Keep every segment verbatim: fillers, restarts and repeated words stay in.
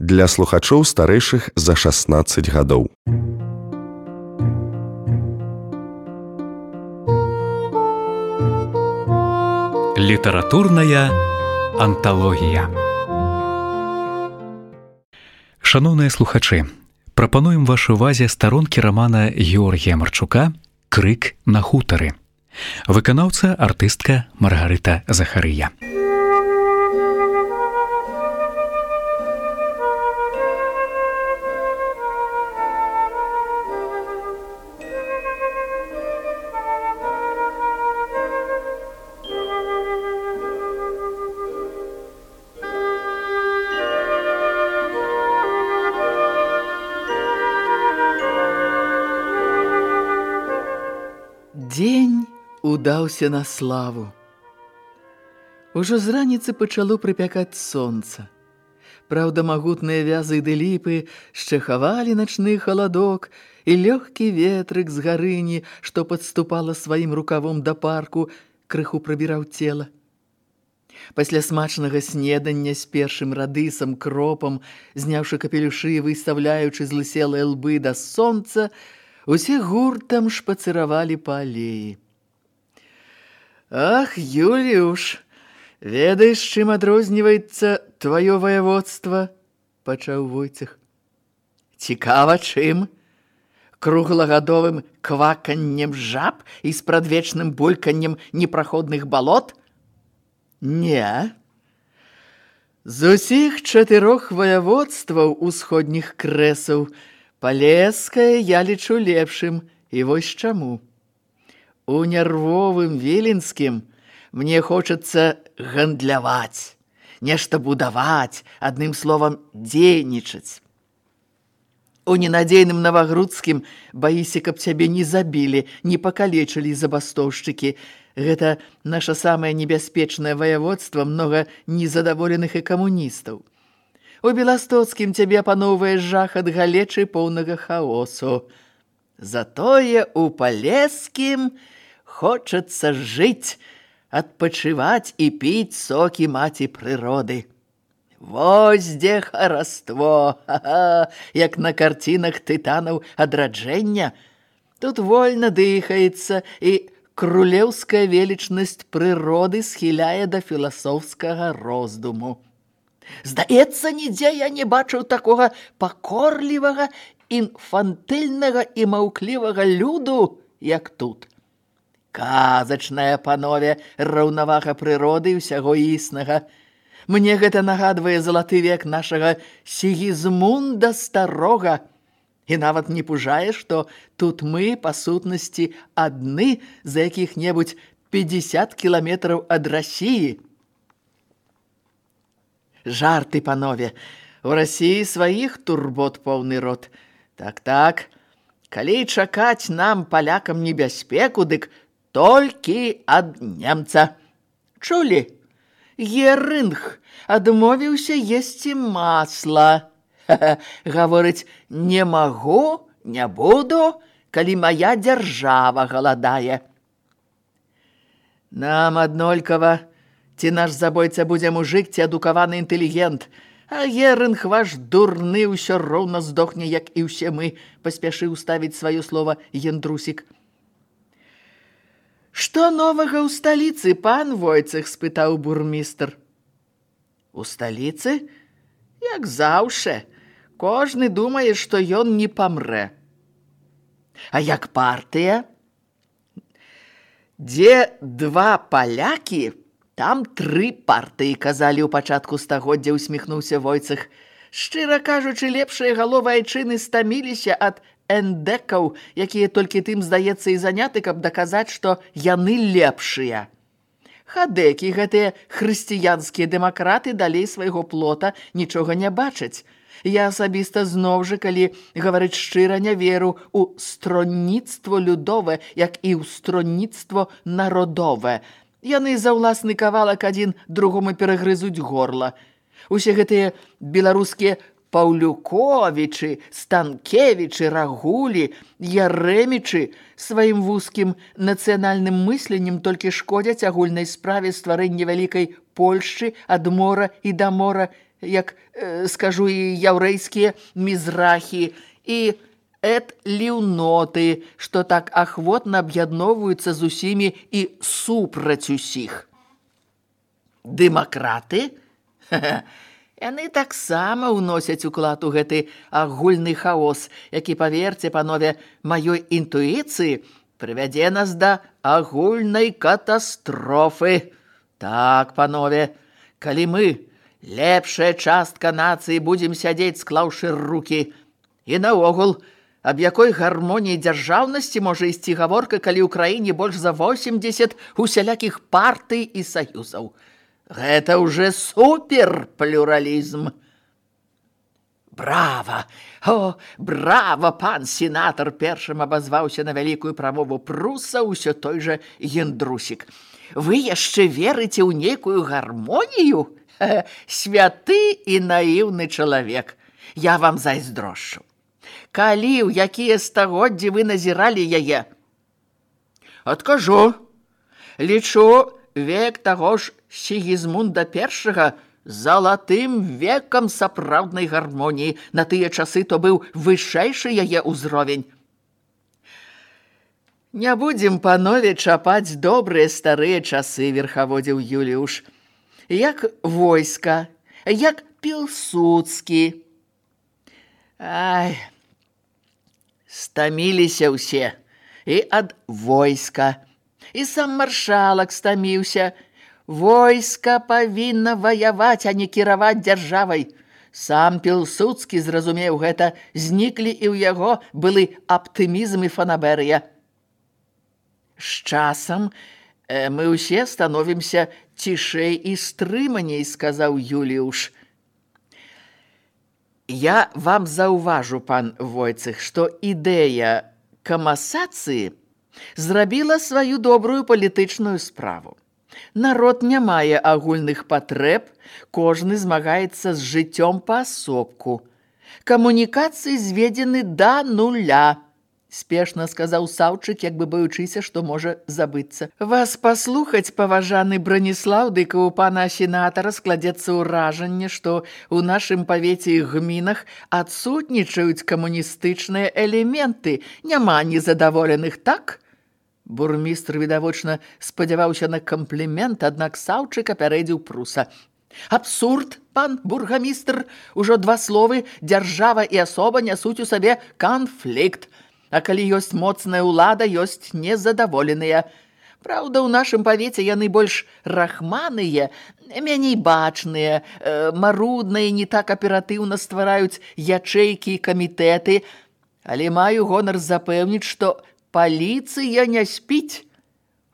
для слухачоў старэйшых за шаснаццаць гадоў. Літаратурная анталогія. Шаноўныя слухачы, прапануем вашай увазе старонкі рамана Георгія Марчука «Крык на хутары». Выканаўца артыстка Маргарыта Захарыя. Дзень удаўся на славу. Ужо з раніцы пачало прыпякаць сонца. Праўда, магутныя вязы ды ліпы шчэхавалі начны халадок, і лёгкі ветрык з гарыні, што падступала сваім рукавом да парку, крыху прабіраў цела. Пасля смачнага снедання з першым радысам, кропам, зняўшы капелюшы і выстаўляючы злыселыя лбы да сонца, усе гуртам шпацыравалі па алеі. «Ах, Юліуш, ведаеш, чым адрозніваецца тваё ваяводства?» – пачаў Войцех. «Цікава, чым? Круглагадовым кваканнем жаб і спрадвечным бульканнем непраходных балот? Не. З усіх чатырох ваяводстваў усходніх крэсаў Палескае я лічу лепшым, і вось чаму. У нервовым Віленскім мне хочацца гандляваць, нешта будаваць, адным словам, дзейнічаць. У ненадзейным Навагрудскім баіся, каб цябе не забілі, не пакалечылі забастоўшчыкі. Гэта наша самае небяспечнае ваяводства, многа незадаволеных і камуністаў. У Беластоцкім цябе апаноўвае жах ад галечы поўнага хаосу. Затое у Палескім хочацца жыць, адпачываць і піць сокі маці прыроды. Вось дзе хараство, ха-ха, як на карцінах тытанаў адраджэння. Тут вольна дыхаецца, і крулеўская велічнасць прыроды схіляе да філасофскага роздуму. Здаецца, нідзе я не бачыў такога пакорлівага, інфантыльнага і маўклівага люду, як тут. Казачная, панове, раўнавага прыроды і ўсяго існага. Мне гэта нагадвае залаты век нашага Сігізмунда Старога. І нават не пужае, што тут мы, па сутнасці, адны за якіх-небудзь пятьдесят кіламетраў ад Расіі. Жарты, панове, у Расіі сваіх турбот поўны рот. Так-так, калі чакаць нам, палякам, небяспеку, дык толькі ад немца. Чулі? Герынг адмовіўся есці масла. Гаворыць, не магу, не буду, калі мая дзяржава галадае. Нам аднолькава, ці наш забойца будзе мужык, ці адукаваны інтэлігент, а Герынг ваш дурны ўсё роўна здохне, як і ўсе мы, паспяшыў ставіць сваё слова Яндрусік. Што новага ў сталіцы, пан Войцех, спытаў бурмістр. У сталіцы? Як заўше. Кожны думае, што ён не памрэ. А як партыя? Дзе два палякі, там тры партыі, казалі ў пачатку стагоддзя, усміхнуўся Войцех. Шчыра кажучы, лепшыя галовы айчыны стаміліся ад эндекаў, якія толькі тым, здаецца, і заняты, каб даказаць, што яны лепшыя. Хадэкі, гэтыя хрысціянскія дэмакраты, далей свайго плота нічога не бачаць. Я асабіста зноў жа, калі гаварыць шчыра, не веру ў стронніцтво людовае, як і ў стронніцтво народовае. Яны за ўласны кавалак адзін другому перагрызуць горла. Усе гэтыя беларускія Паўлюковічы, Станкевічы, Рагулі, Яремічы сваім вузкім нацыянальным мысленнем толькі шкодзяць агульнай справе стварэння вялікай Польшчы ад мора і да мора. як, э, скажу, і яўрэйскія мізрахі, і эт-ліўноты, што так ахвотна аб'ядноўваюцца з усімі і супраць усіх. Дэмакраты? Яны таксама ўносяць уклад у гэты агульны хаос, які, паверце, панове, маёй інтуіцыі прывядзе нас да агульнай катастрофы. Так, панове, калі мы, лепшая частка нацыі, будзем сядзець, склаўшы рукі, і наогул, аб якой гармоніі дзяржаўнасці можа ісці гаворка, калі ў краіне больш за восемдзесят усялякіх партый і саюзаў. Гэта ўжо суперплюралізм. Брава! О, брава, пан сенатар! Першым абазваўся на вялікую прамову Пруса ўсё той жа Гендрусік. Вы яшчэ верыце ў нейкую гармонію? Святы і наіўны чалавек. Я вам зайздрошчу. Калі, ў якія стагоддзі вы назіралі яе? Адкажу. Лічу век таго ж Сігізмунда першага залатым векам сапраўднай гармоніі. На тыя часы то быў вышэйшы яе ўзровень. Не будзем, панове, чапаць добрыя старыя часы, верхаводзіў Юліуш. Як войска, як Пілсудскі. Ай, стаміліся ўсе. І ад войска. І сам маршалак стаміўся. Войска павінна ваяваць, а не кіраваць дзяржавай. Сам Пілсудскі зразумеў гэта, зніклі і ў яго былы аптымізм і фанаберыя. З часам э, мы ўсе становімся цішэй і стрыманей, сказаў Юліуш. Я вам заўважу, пан Войцэх, што ідэя камасацыі зрабіла сваю добрую палітычную справу. Народ не мае агульных патрэб, кожны змагаецца з жыццём паасобку. Камунікацыі зведзены да нуля, спешна сказаў Саўчык, як бы баючыся, што можа забыцца. Вас паслухаць, паважаны Браніслаў, дык у пана сенатара складзецца ўражанне, што ў нашым павеце і гмінах адсутнічаюць камуністычныя элементы. Няма незадаволеных, так? Бурмістр, відавочна, спадзяваўся на камплімент, аднак Саўчык апярэдзіў Пруса. Абсурд, пан бургамістр, ужо два словы «дзяржава» і «асоба» нясуць у сабе канфлікт. А калі ёсць моцная ўлада, ёсць незадаволеныя. Праўда, у нашым павеце яны больш рахманыя, меней бачныя, марудныя, не так аператыўна ствараюць ячэйкі і камітэты, але маю гонар запэўніць, што паліцыя не спіць.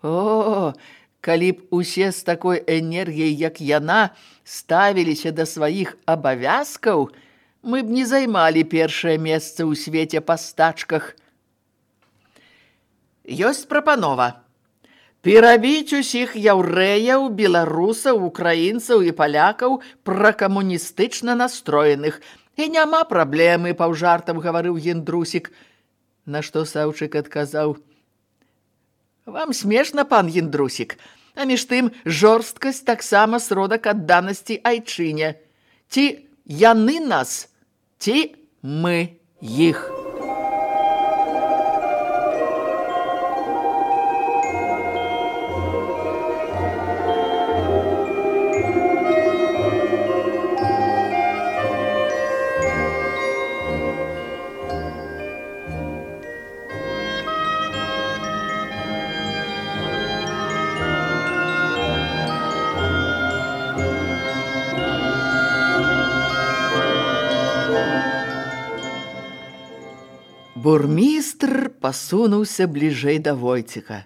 О, калі б усе з такой энергіяй, як яна, ставіліся да сваіх абавязкаў, мы б не займалі першае месца ў свеце па стачках. Ёсць прапанова. Перабіць усіх яўрэяў, беларусаў, украінцаў і палякаў пракамуністычна настроеных. І няма праблемы, паўжартам гаварыў Гендрусік. На што Саўчык адказаў: «Вам смешна, пан Гендрусік, а між тым жорсткасць таксама сродак адданасці айчыне. Ці яны нас, ці мы іх». Бурмістр пасунуўся бліжэй да Войцеха.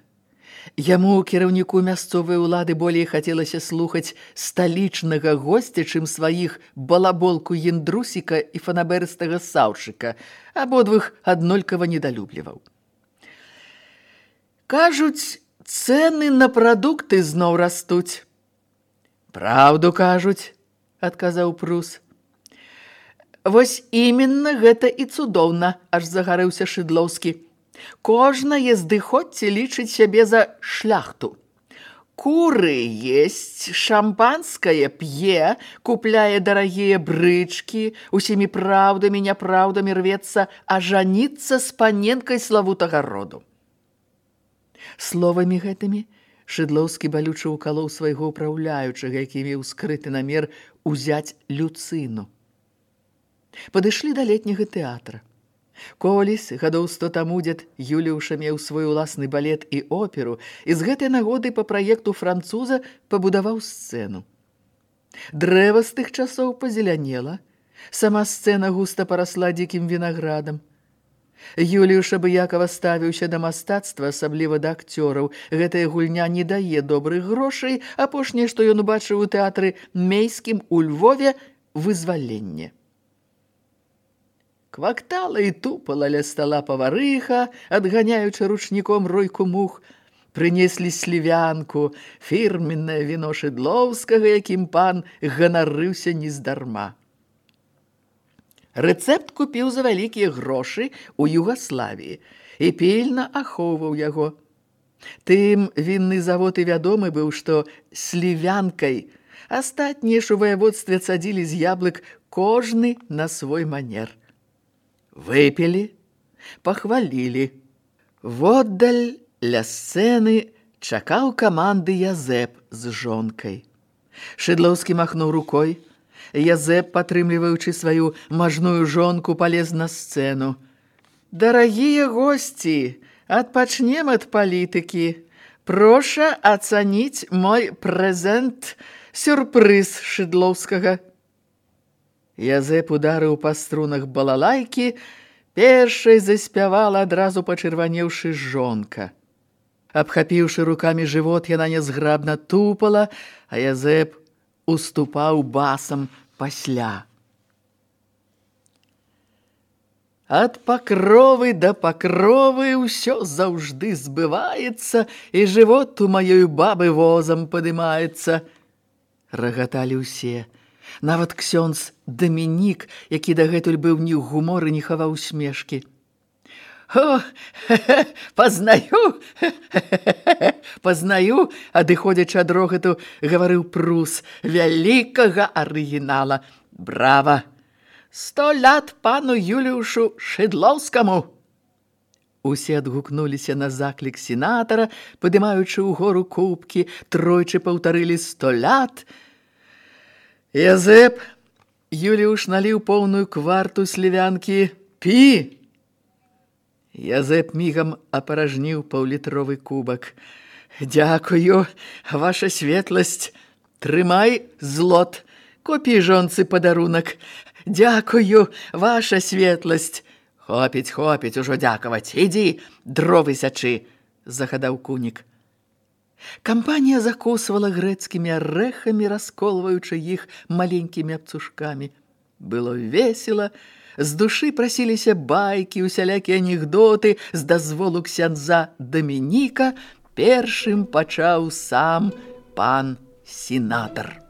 Яму, кіраўніку мясцовай улады, болей хацелася слухаць сталічнага госця, чым сваіх балаболку Гендрусіка і фанаберыстага Саўчыка, абодвух аднолькава недалюбліваў. Кажуць, цэны на прадукты зноў растуць. Праўду кажуць, адказаў Прус. Вось іменна гэта і цудоўна, аж загарэўся Шыдлоўскі. Кожнае здыходце лічыць сябе за шляхту. Куры есть, шампанское п'е, купляе дарагія брычкі, усімі праўдамі, няпраўдамі рвецца ажаніцца з паненкай славутага роду. Словамі гэтымі Шыдлоўскі балюча укалоў свайго ўпраўляючага, які меў скрыты намер узяць Люцыну. Падышлі да летняга тэатра. Колісь, гадоў сто таму дзед Юліуша меў свой уласны балет і оперу, і з гэтай нагоды па праекту француза пабудаваў сцэну. Дрэва з тых часоў пазелянела, сама сцэна густа парасла дзікім вінаградам. Юліуш абыякава ставіўся да мастацтва, асабліва да акцёраў. Гэтая гульня не дае добрых грошай, апошняе, што ён убачыў у тэатры Мейскім у Львове, вызваленне. Квактала і тупала ля стала паварыха, адганяючы ручніком ройку мух. Прынеслі слівянку, фірменнае віно Шыдлоўскага, якім пан ганарыўся нездарма. Рэцэпт купіў за вялікія грошы ў Югаславіі і пільна ахоўваў яго. Тым вінны завод і вядомы быў, што слівянкай астатнія ж у ваяводстве цадзілі з яблык кожны на свой манер. Выпілі, пахвалілі. Воддаль ля сцэны чакаў каманды Язэп з жонкай. Шыдлоўскі махнуў рукой. Язэп, падтрымліваючы сваю мажную жонку, палез на сцэну. «Дарагія госці, адпачнем ад палітыкі. Проша ацаніць мой прэзент, сюрпрыз Шыдлоўскага». Язэп ударыў па струнах балалайкі, першай заспявала, адразу пачырванеўшы жонка. Абхапіўшы рукамі жывот, яна нязграбна тупала, а Язэп уступаў басам пасля. Ад пакровы да пакровы ўсё заўжды збываецца, і жывот у маёй бабы возам падымаецца. Рагаталі ўсе. Нават ксёндз Дамінік, які дагэтуль быў ні ў гуморы, не хаваў усмешкі. «О, хе-хе, пазнаю, хе-хе, пазнаю», адыходзячы ад рогату, гаварыў Прус, вялікага арыгінала. «Брава! Сто лят пану Юліушу Шыдлоўскаму!» Усе адгукнуліся на заклік сенатара, падымаючы ўгору кубкі, тройчы паўтарылі «сто лят». Язэп, Юліуш наліў поўную кварту слівянкі. «Пі!» Язэп мігам апаражніў паўлітровы кубак. «Дякую, ваша светласць. Трымай злот. Купі жонцы падарунак. Дякую, ваша светласць». «Хопіць, хопіць ужо дзякаваць. Ідзі, дровы сячы», – загадаў кунік. Кампанія закусвала грэцкімі арэхамі, расколваючы іх маленькімі абцушкамі. Было весела, з душы прасіліся байкі, усялякія анекдоты, з дазволу ксяндза Дамініка першым пачаў сам пан сенатар.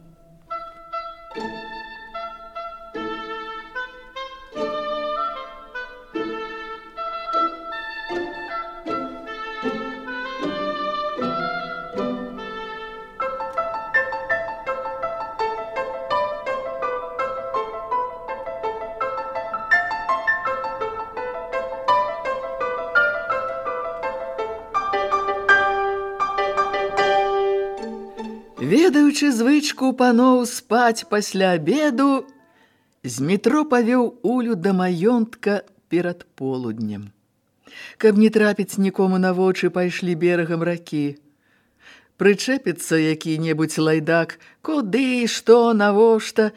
Ведаючы звычку паноў спаць пасля абеду, Змітро павёў Улю да маёнтка перад полуднем. Каб не трапіць нікому на вочы, пайшлі берагам ракі. Прычэпіцца які-небудзь лайдак, куды, што, навошта.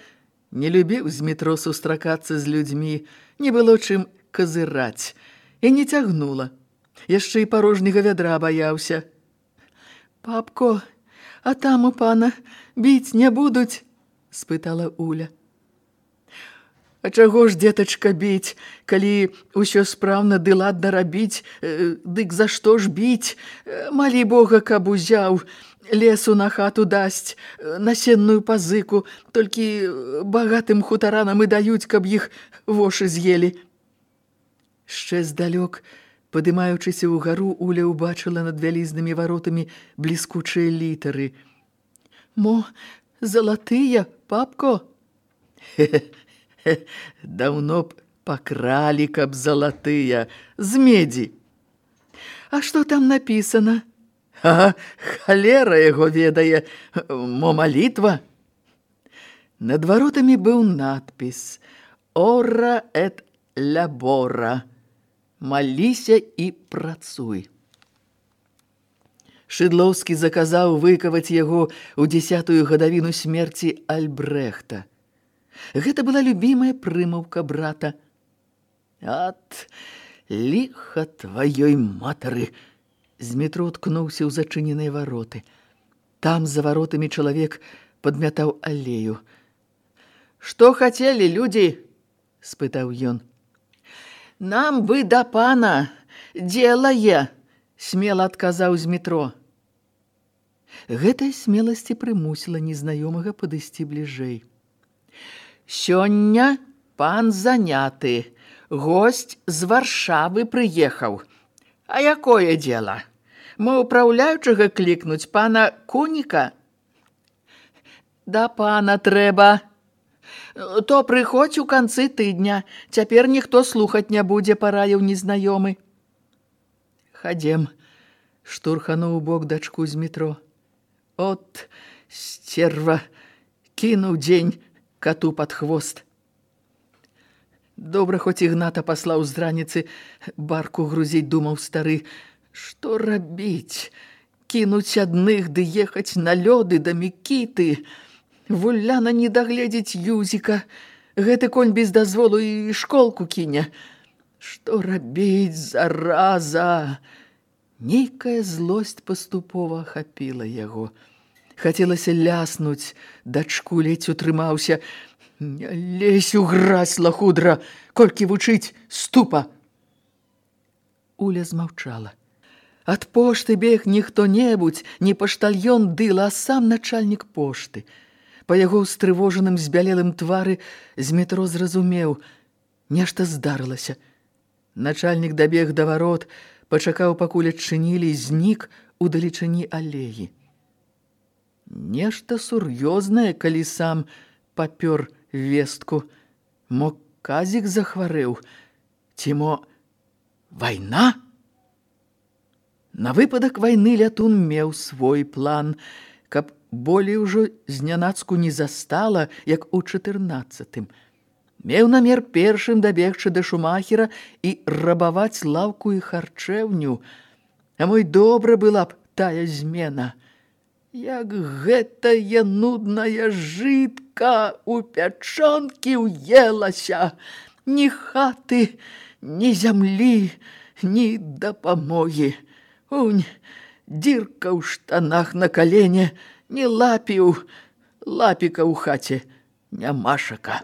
Не любіў Змітро сустракацца з людзьмі, не было чым казыраць. І не цягнула. Яшчэ і парожняга вядра баяўся. «Папко, а там у пана біць не будуць?» – спытала Уля. «А чаго ж, дзетачка, біць, калі ўсё спраўна ды ладна рабіць, дык за што ж біць? Малі Бога, каб узяў, лесу на хату дасць, насенную пазыку, толькі багатым хутаранам і даюць, каб іх вошы з'елі». Шчэ здалёк Падымаючыся ўгару, Уля ўбачыла над вялізнымі варотамі бліскучыя літары. «Мо, залатыя, папко?» «Даўно б пакралі, каб залатыя, з медзі». «А што там напісана?» «А, халера яго ведае, мо малітва». Над варотамі быў надпіс «Ора эт лябора» – «Маліся і працуй». Шыдлоўскі заказаў выкаваць яго ў дзесятую гадавіну смерці Альбрэхта. Гэта была любімая прымаўка брата. «Ат, ліха тваёй матары!» Змітро ткнуўся ў зачыненыя вароты. Там за варотамі чалавек падмятаў алею. «Што хацелі, людзі?» – спытаў ён. «Нам бы да пана, дзела е!» – смела адказаў Змітро. Гэтая смеласць і прымусіла незнаёмага падысці бліжэй. «Сёння пан заняты, госць з Варшавы прыехаў. А якое дзела? Мо ўпраўляючага клікнуць пана Куніка?» «Да пана трэба. То прыходзь у канцы тыдня, цяпер ніхто слухаць не будзе», – параіў незнаёмы. «Хадзем», – штурхануў у бок дачку Змітро. «От, сцерва, кінуў дзень кату пад хвост». Добра, хоць Ігната паслаў з раніцы барку грузіць, думаў стары. Што рабіць? Кінуць адных ды ехаць на лёды да Мікіты. Вуляна не дагледзіць Юзіка. Гэты конь без дазволу і школку кіне. Што рабіць, зараза? Нейкая злосць паступова ахапіла яго. Хацелася ляснуць, дачку ледзь утрымаўся. «Не лезь у гразь, лахудра! Колькі вучыць, ступа!» Уля змаўчала. Ад пошты бег не хто-небудзь, не паштальён дыла, а сам начальнік пошты. Па яго устрывожаным збялелым твары Змітро зразумеў. Нешта здарылася. Начальнік дабег да варот, пачакаў, пакуль адчынілі, і знік у далечыні алеі. Нешта сур'ёзнае, калі сам папёр вестку. Мо казік захварэў? Ці мо вайна? На выпадак вайны Лятун меў свой план, каб болей ужо знянацку не застала, як у чатырнаццатым. Меў намер першым дабегчы да Шумахера і рабаваць лаўку і харчэўню. А мой добра была б тая змена. Як гэтая нудная жытка у пячонкі ўелася. Ні хаты, ні зямлі, ні дапамогі. Унь, дзірка ў штанах на калене, ні лапіў, лапіка ў хаце, нямашака.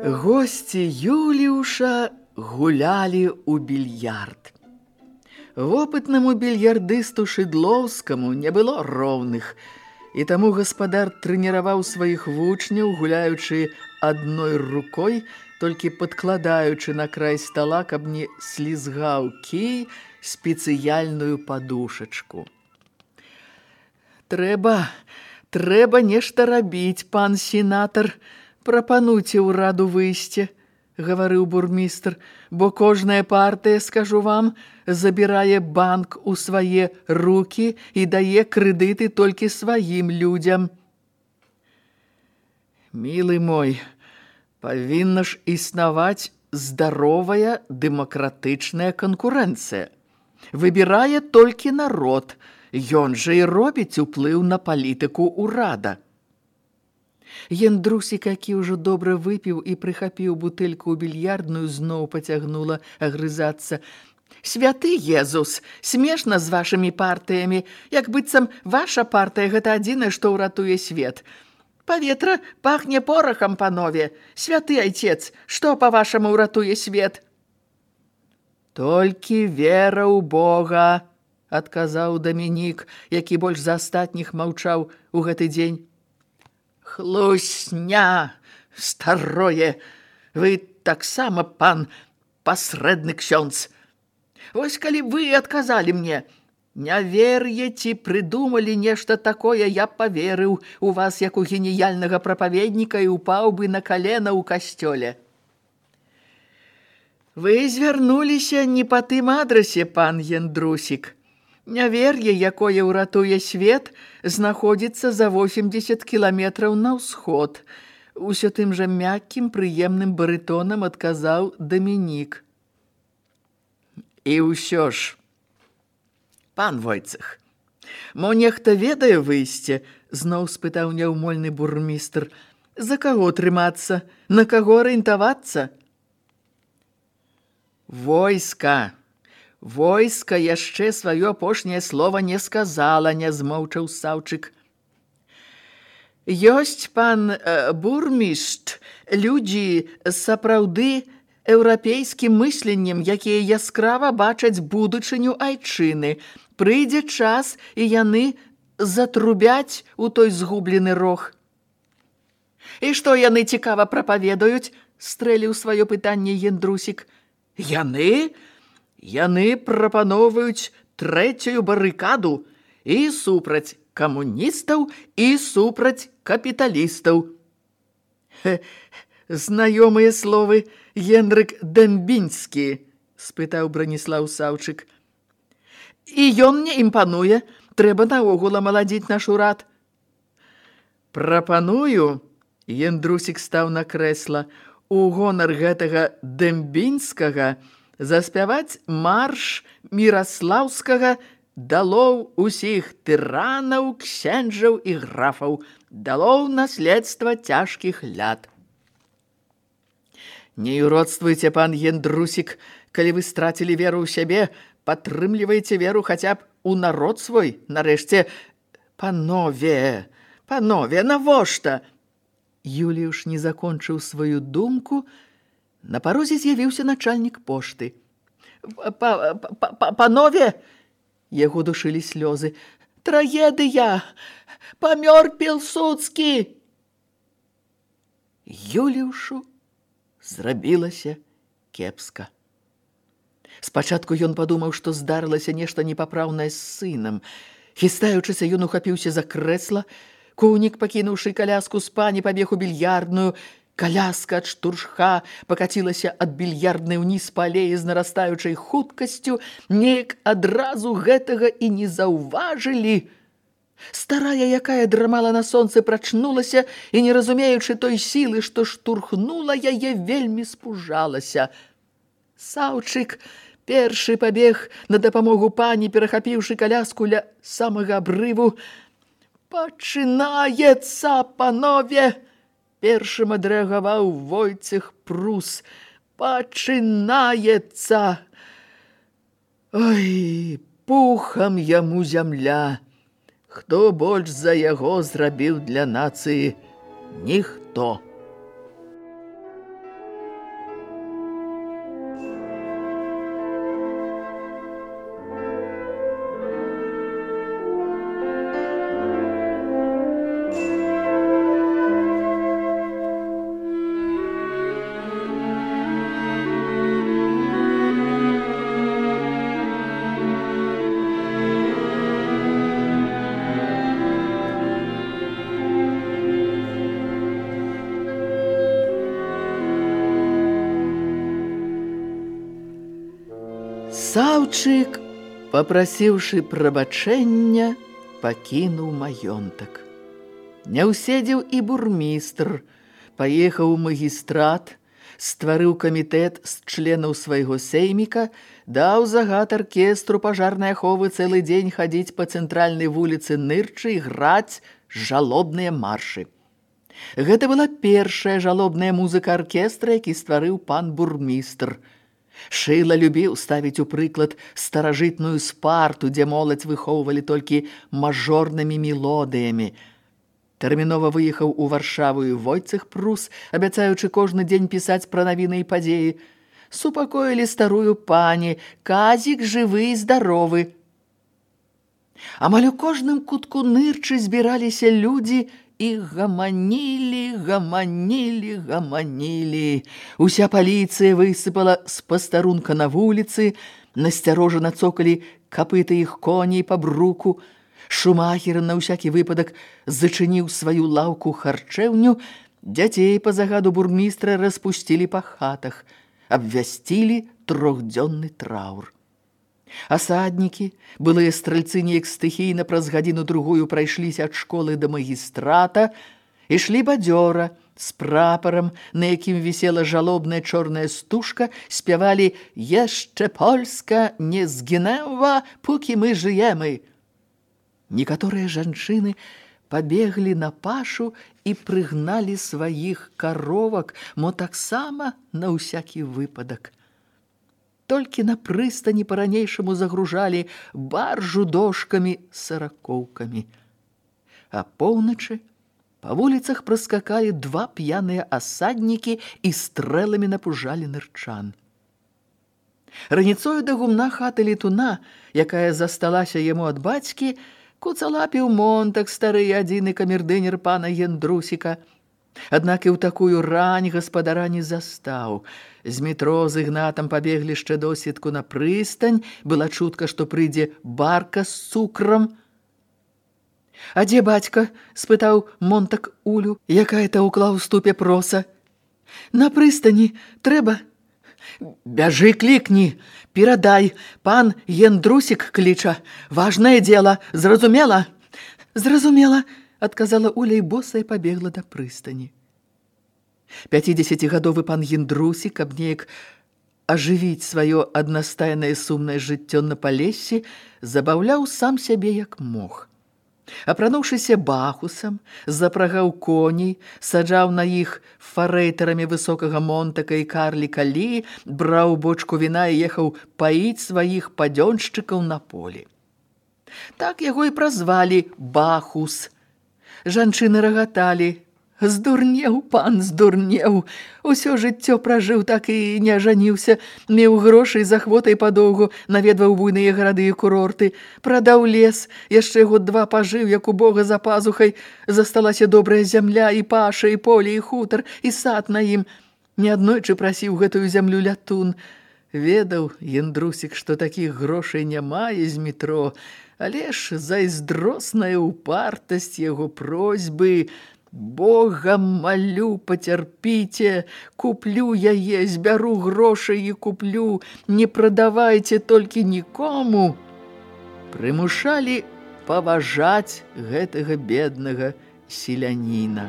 Госці Юліуша гулялі ў більярд. Вопытнаму більярдысту Шыдлоўскаму не было роўных, і таму гаспадар трэніраваў сваіх вучняў, гуляючы адной рукой, толькі падкладаючы на край стала, каб не слізгаў кій, спецыяльную падушачку. «Трэба, трэба нешта рабіць, пан сенатар», Прапануйце ўраду выйсце, гаварыў бурмістр, бо кожная партыя, скажу вам, забірае банк у свае рукі і дае крэдыты толькі сваім людзям. Мілы мой, павінна ж існаваць здаровая дэмакратычная канкурэнцыя. Выбірае толькі народ, ён жа і робіць уплыў на палітыку ўрада. Яндрусік, які ўжо добра выпіў і прыхапіў бутэльку ў більярдную, зноў пацягнула агрызацца. Святы Езус, смешна з вашымі партыямі, як быццам ваша партыя гэта адзінае, што ўратуе свет. Паветра пахне порахам, панове. Святы айцец, што, па-вашаму, ўратуе свет? Толькі вера ў Бога, адказаў Дамінік, які больш за астатніх маўчаў у гэты дзень. Хлусня, старое, вы таксама, пан, пасрэдны ксёндз. Вось калі вы адказалі мне, нявер'е ці прыдумалі нешта такое, я паверыў у вас як у геніяльнага прапаведніка і упаў бы на калена ў касцёле. Вы звярнуліся не па тым адрасе, пан Яндрусік. Нявер'е, якое ўратуе свет, знаходзіцца за восемьдесят кіламетраў на ўсход. Усё тым жа мяккім, прыемным барытонам адказаў Дамінік. І ўсё ж, пан Войцах, мо нехта ведае выйсце? Зноў спытаў няўмольны бурмістр. За каго трымацца? На каго арыентавацца? Войска! Войска яшчэ сваё апошняе слова не сказала, не змоўчаў Саўчык. Ёсць, пан э, бурмішт, людзі сапраўды еўрапейскім мысленнем, якія яскрава бачаць будучыню айчыны. Прыйдзе час, і яны затрубяць у той згублены рог. І што яны цікава прапаведаюць? Стрэліў сваё пытанне Яндрусік. Яны? Яны прапаноўваюць трэцюю барыкаду і супраць камуністаў, і супраць капіталістаў. Хе, знаёмыя словы, Генрык Дэмбінскі, спытаў Браніслаў Саўчык. І ён мне імпануе, трэба наогул амаладзіць наш урад. Прапаную, Яндрусік стаў на крэсла, у гонар гэтага Дэмбінскага заспяваць марш Міраслаўскага «Далоў усіх тыранаў, ксенджаў і графаў, далоў наследства цяжкіх ляд». Не юродствуйце, пан Яндрусік, калі вы страцілі веру ў сябе, падтрымлівайце веру хаця б у народ свой, нарэшце. Панове, панове, навошта? Юліуш не закончыў сваю думку. На парозе з'явіўся начальнік пошты. Панове, яго душылі слёзы. Трагедыя! Памёр Пілсудскі! Юліушу зрабілася кепска. Спачатку ён падумаў, што здарылася нешта непапраўнае з сынам. Хістаючыся, ён ухапіўся за крэсла. Кунік, пакінуўшы каляску з пані, пабег у більярдную. Каляска ад штуршка пакацілася ад більярднай уніз па алеі з нарастаючай хуткасцю. Неяк адразу гэтага і не заўважылі. Старая, якая драмала на сонцы, прачнулася і, не разумеючы той сілы, што штурхнула яе, вельмі спужалася. Саўчык першы пабег на дапамогу пані, перахапіўшы каляску ля самага абрыву. «Пачынаецца, панове!» Першым адрэагаваў Войцех Прус. «Пачынаецца!» Ой, пухам яму зямля. Хто больш за яго зрабіў для нацыі? Ніхто. Красаўчык, папрасіўшы прабачэння, пакінуў маёнтак. Не ўседзеў і бурмістр, паехаў у магістрат, стварыў камітэт з членаў свайго сейміка, даў загад аркестру пажарнай аховы цэлы дзень хадзіць па цэнтральнай вуліцы Нырчы і граць жалобныя маршы. Гэта была першая жалобная музыка аркестра, які стварыў пан бурмістр. Шыла любіў ставіць у прыклад старажытную спарту, дзе моладзь выхоўвалі толькі мажорнымі мелодыямі. Тэрмінова выехаў у Варшаву і Войцэх Прус, абяцаючы кожны дзень пісаць пра навіны і падзеі. Супакоілі старую пані, казік жывы і здаровы. Амаль у кожным кутку Нырчы збіраліся людзі і гаманілі, гаманілі, гаманілі. Уся паліцыя высыпала з пастарунка на вуліцы, насцярожана цокалі капыты іх коней па бруку. Шумахер на ўсякі выпадак зачыніў сваю лаўку харчэўню, дзяцей па загаду бурмістра распусцілі па хатах, абвясцілі трохдзённы траур. Асаднікі, былыя стральцы неяк стыхійна праз гадзіну-другую прайшліся ад школы да магістрата, ішлі бадзёра, з прапарам, на якім вісела жалобная чорная стужка, спявалі «Яшчэ Польска не згінэва, пукі мы жыемы». Некаторыя жанчыны пабеглі на пашу і прыгналі сваіх каровак, мо таксама на ўсякі выпадак. Толькі на прыстані па-ранейшаму загружалі баржу дошкамі саракоўкамі. А поўначы па вуліцах праскакалі два п'яныя асаднікі і стрэламі напужалі нырчан. Раніцою да гумна хаты летуна, якая засталася яму ад бацькі, куцалапіў Монтак, стары адзіны камердынер пана Яндрусіка. Аднак і ў такую рань гаспадара не застаў. З метро з Ігнатам пабеглі яшчэ досведку на прыстань, была чутка, што прыйдзе барка з цукрам. «А дзе бацька?» – спытаў Монтак Улю, якая таўкла ў ступе проса. «На прыстані трэба». «Бяжы, клікні, перадай, пан Яндрусік кліча, важнае дзела, зразумела?» «Зразумела», – адказала Уля і босая пабегла да прыстані. Пяцідзесяцігадовы пан Яндрусік, каб неяк ажывіць сваё аднастайнае сумнае жыццё на Палессі, забаўляў сам сябе як мог. Апрануўшыся бахусам, запрагаў коней, саджаў на іх фарэйтарамі высокага Монтака і карліка Лі, браў бочку віна і ехаў паіць сваіх падзёншчыкаў на полі. Так яго і празвалі Бахус. Жанчыны рагаталі. «Здурнеў, пан, здурнеў. Усё жыццё пражыў, так і не ажаніўся. Меў грошай з ахвотай падоўгу, наведваў буйныя гарады і курорты. Прадаў лес, яшчэ год два пажыў, як у Бога за пазухай. Засталася добрая зямля, і паша, і поле, і хутар, і сад на ім. Неаднойчы прасіў гэтую зямлю лятун. Ведаў Яндрусік, што такіх грошай нямае з метро, але ж зайздросная упартасць яго просьбы. Богам малю, пацярпіце, куплю яе, збяру грошай і куплю, не прадавайце толькі нікому». Прымушалі паважаць гэтага беднага селяніна.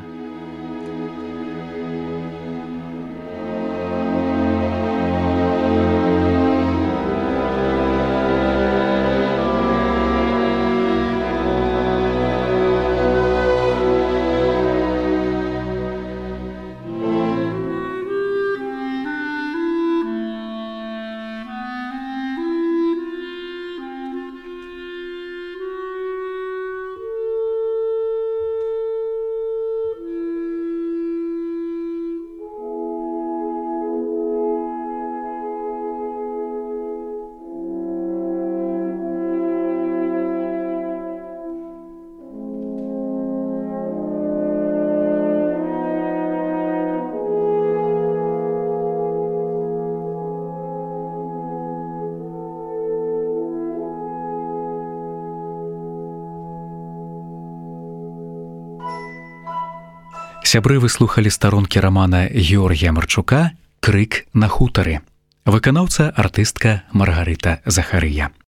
Сябры выслухалі старонкі рамана Георгія Марчука «Крык на хутары». Выканаўца артыстка Маргарыта Захарыя.